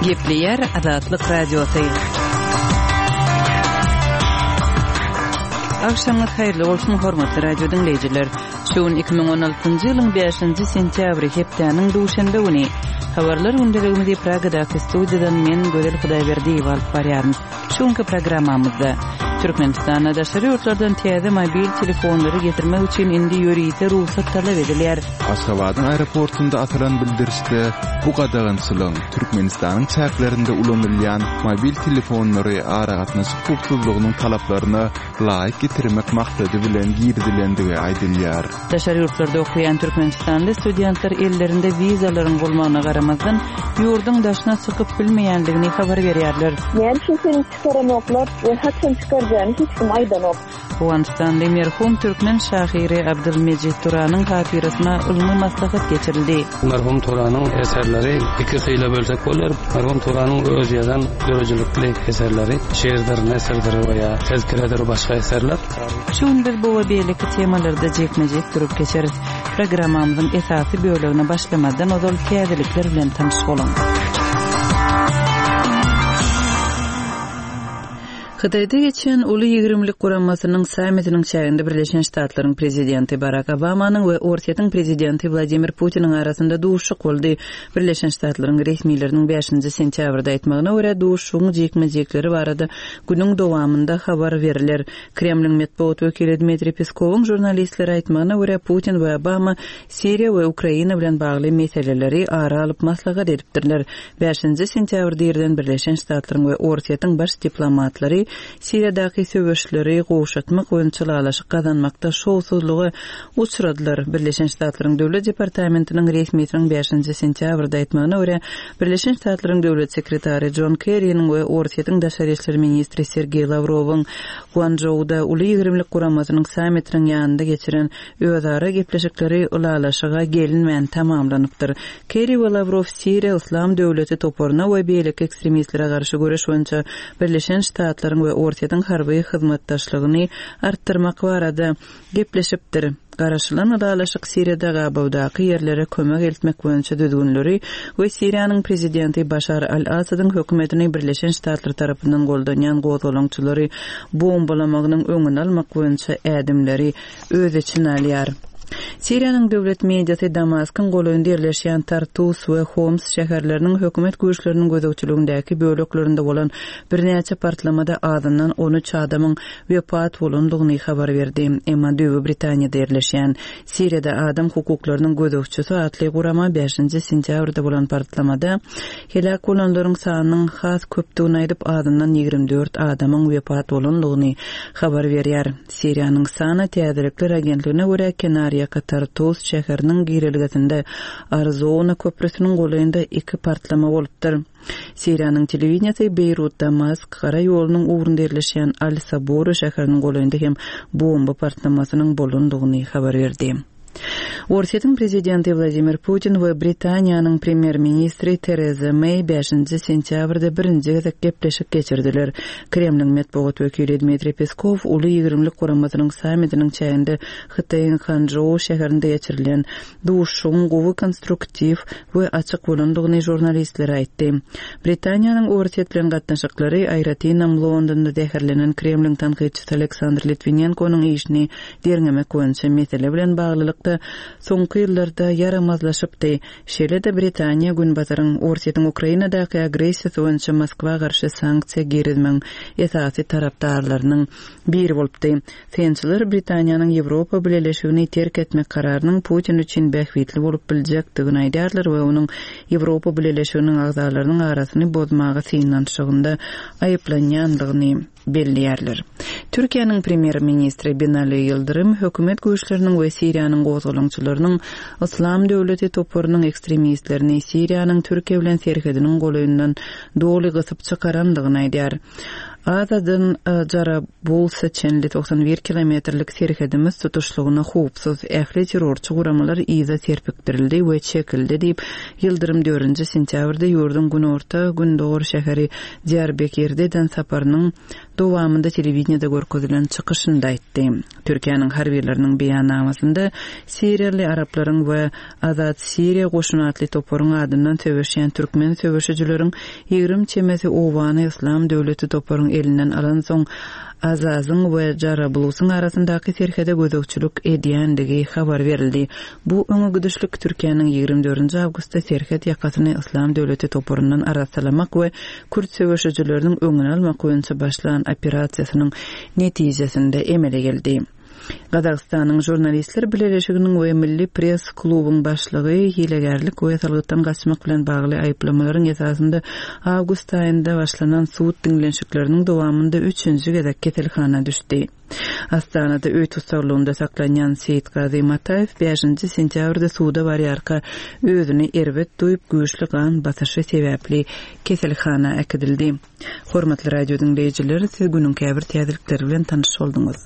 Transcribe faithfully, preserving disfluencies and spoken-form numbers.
Gepleýär Azatlyk Radiosy. Agşamyňyz haýyrly bolsun, hormatly radio diňleýjiler. Şu gün iki müň on altynjy ýylyň bäşinji sentýabry, hepdäniň duşenbe güni. Habarlar gündeligimizi Pragadaky studiýadan men Gözel Hudaýberdiýewa alyp barýaryn. Şu günki programmamyzda Türkmenistanda daşary ýurtlardan täze mobil telefonlary getirmek üçin indi ýörite rugsat talap edilýär. Aşgabadyň aeroportunda asylan bildirişde bu gadagançylygyň Türkmenistanyň çäklerinde ulanylýan mobil telefonlary aragatnaşyk howpsuzlygynyň talaplaryna laýyk getirmek maksady bilen girizilendigi aýdylýar. Daşary ýurtlarda okaýan türkmenistanly studentler ellerinde wizalaryň bolmagyna garamazdan, ýurduň daşyna çykyp bilmeýändigini habar berýärler. Näme üçin seni çykaranoklar we haçan çykarjagyny hiç kim aýdanok. Owganystanly merhum türkmen şahyry Abdylmejit Turanyň hatyrasyna ylmy maslahat geçirildi. Merhum Turanyň eserleri iki hile bölsek bolýar. Merhum Turanyň öz ýazan döredijilikli eserleri, şiirdir, nesirdir we ýa tezkiredir başga eserler. Şu gün biz bu we beýleki temalarda jikme-jik durup geçeris. Programmamyzyň esasy bölegine başlamazdan ozal täzelikler bilen tanyş boluň. Hytaýda geçen Uly ýigrimlik guramasynyň sammitiniň çäginde Birleşen Ştatlaryň prezidenti Barak Obamanyň we Orsýetiň prezidenti Wladimir Putiniň arasynda duşuşyk boldy. Birleşen Ştatlaryň resmileriniň bäşinji sentýabrda aýtmagyna görä, duşuşygyň jikme-jikleri barada günüň dowamynda habar beriler. Kremliň metbugat wekili Dmitriý Peskowyň žurnalistlere aýtmagyna görä, Putin we Obama Siriýa we Ukraina bilen bagly meseleleri ara alyp maslahat edipdirler. Bäşinji sentýabrda irden Birleşen Ştatlaryň we Orsýetiň baş diplomatlary Siriýadaky söweşleri gowşatmak boýunça ylalaşyk gazanmakda şowsuzlyga uçradylar. Birleşen Ştatlaryň Döwlet departamentiniň resmisiniň bäşinji sentýabrda aýtmagyna görä, Birleşen Ştatlaryň Döwlet sekretary John Kerry'niň we Orsýetiň daşary işler ministri Sergeý Lawrowyň Guançžouda Uly ýigrimlik guramasynyň sammitiniň ýanynda geçiren özara gepleşikleri ylalaşyga gelinmän tamamlanypdyr. Kerry we Lawrow Siriýa Yslam döwleti toparyna we beýleki ekstremistlere garşy göreş boýunça Birleşen Ştatlaryň we Orsýetiň harby hyzmatdaşlygyny artdyrmak barada gepleşipdir. Garaşylan ylalaşyk Siriýada gabawdaky ýerlere kömek eltmek boýunça düzgünleri we Siriýanyň prezidenti Başar al-Asadyň hökümetini Birleşen Ştatlar tarapyndan goldanýan gozgalaňçylary bombalamagynyň öňüni almak boýunça ädimleri öz içine alýar. Siriýanyň döwlet mediasy Damaskyň golaýynda ýerleşýän Tartus we Homs şäherleriniň hökümet güýçleriniň gözegçiligindäki böleklerinde bolan birnäçe partlamada azyndan on üç adamyň wepat bolandygyny habar berdi. Emma Düýbi Britaniýada ýerleşýän Siriýada adam hukuklarynyň gözegçisi atly gurama bäşinji sentýabrda bolan partlamada heläk bolanlaryň sanynyň has köpdügini aýdyp, azyndan ýigrimi dört adamyň wepat bolandygyny habar berýär. Siriýanyň Sana täzelikler agentligine görä, kenarýaka Tartus şäheriniň girelgesinde Arzona köprüsiniň golaýynda iki partlama bolupdyr. Siriýanyň telewideniýesi Beýrut Damask gara ýolunyň ugrunda ýerleşýän Al-Sabura şäheriniň golaýynda hem bomba partlamasynyň bolandygyny habar berdi. Orsýetiň prezidenti Wladimir Putin we Britaniýanyň premýer-ministri Tereza Meý bäşinji sentýabrda birinji gezek gepleşik geçirdiler. Kremliň metbugat wekili Dmitriý Peskow Uly ýigrimlik guramasynyň sammitiniň çäginde Hytaýyň Hançžou şäherinde geçirilen duşuşygyň gowy konstruktiw we açyk bolandygyny žurnalistlere aýtdy. Britaniýanyň Orsýet bilen gatnaşyklary aýratynam Londonda zäherlenen Kremliň tankytçysy Aleksandr Litwinenkonyň işini derňemek boýunça mesele bilen baglylykda soňky ýyllarda ýaramazlaşypdy. Şeýle-de Britaniýa Günbataryň Orsýetiň Ukrainadaky agressiýasy boýunça Moskwa garşy sanksiýa girizmegiň esasy tarapdarlarynyň biri bolupdy. Synçylar Britaniýanyň Ýewropa Bileleşigini terk etmek kararynyň Putin üçin bähbitli bolup biljekdigini aýdýarlar we onuň Ýewropa Bileleşiginiň agzalarynyň arasyny bozmaga synanyşygynda aýyplanýandygyny belleýärler. Türkiýäniň premýer-ministri Binali Ýyldyrym hökümet güýçleriniň we Siriýanyň gozgalaňçylarynyň Yslam döwleti toparynyň ekstremistlerini Siriýanyň Türkiýe bilen serhediniň golaýyndan doly gysyp çykarandygyny aýdýar. Azadan, e, Jarabulsa çenli togsan bir kilometrlik serhedimiz tutuşlygyna howpsuz, ähli terrorçy guramalar yza serpikdirildi we çekildi diýip, Ýyldyrym dördünji sentýabrda ýurduň günorta gündogar şäheri Diýarbekirde eden saparynyň dowamynda telewideniýede görkezilen çykyşynda aýtdy. Türkiýäniň harbylarynyň beýannamasynda Siriýaly araplaryň we Azat Siriýa goşuny atly toparyň adyndan söweşýän türkmen söweşijileriň ýigrimi çemesi obany Yslam döwleti toparyň elinden alansoň Azazyň we Jarablusyň arasyndaky serhede gözegçilik edýändigi habar berildi. Bu öňe gidişlik Türkiýäniň ýigrimi dördünji awgustda serhet ýakasyny Yslam döwleti toparyndan arassalamak we kürt söweşijileriniň öňüni almak boýunça başlan operasiýasynyň netijesinde emele geldi. Gazagystanyň Žurnalistler bileleşiginiň we Milli press klubuň başlygy hilegärlik we salgytdan gaçmak bilen bagly aýyplamalaryň esasynda awgust aýynda başlanan sud diňlenişikleriniň dowamynda üçünji gezek keselhana düşdi. Astanada öý tussaglygynda saklanýan Seýitgazy Mataýew bäşinji sentýabrda suda barýarka özüni erbet duýup güýçli gan basyşy sebäpli keselhana äkidildi. Hormatly radio diňleýjiler, siz günüň käbir täzelikleri bilen tanyş bolduňyz.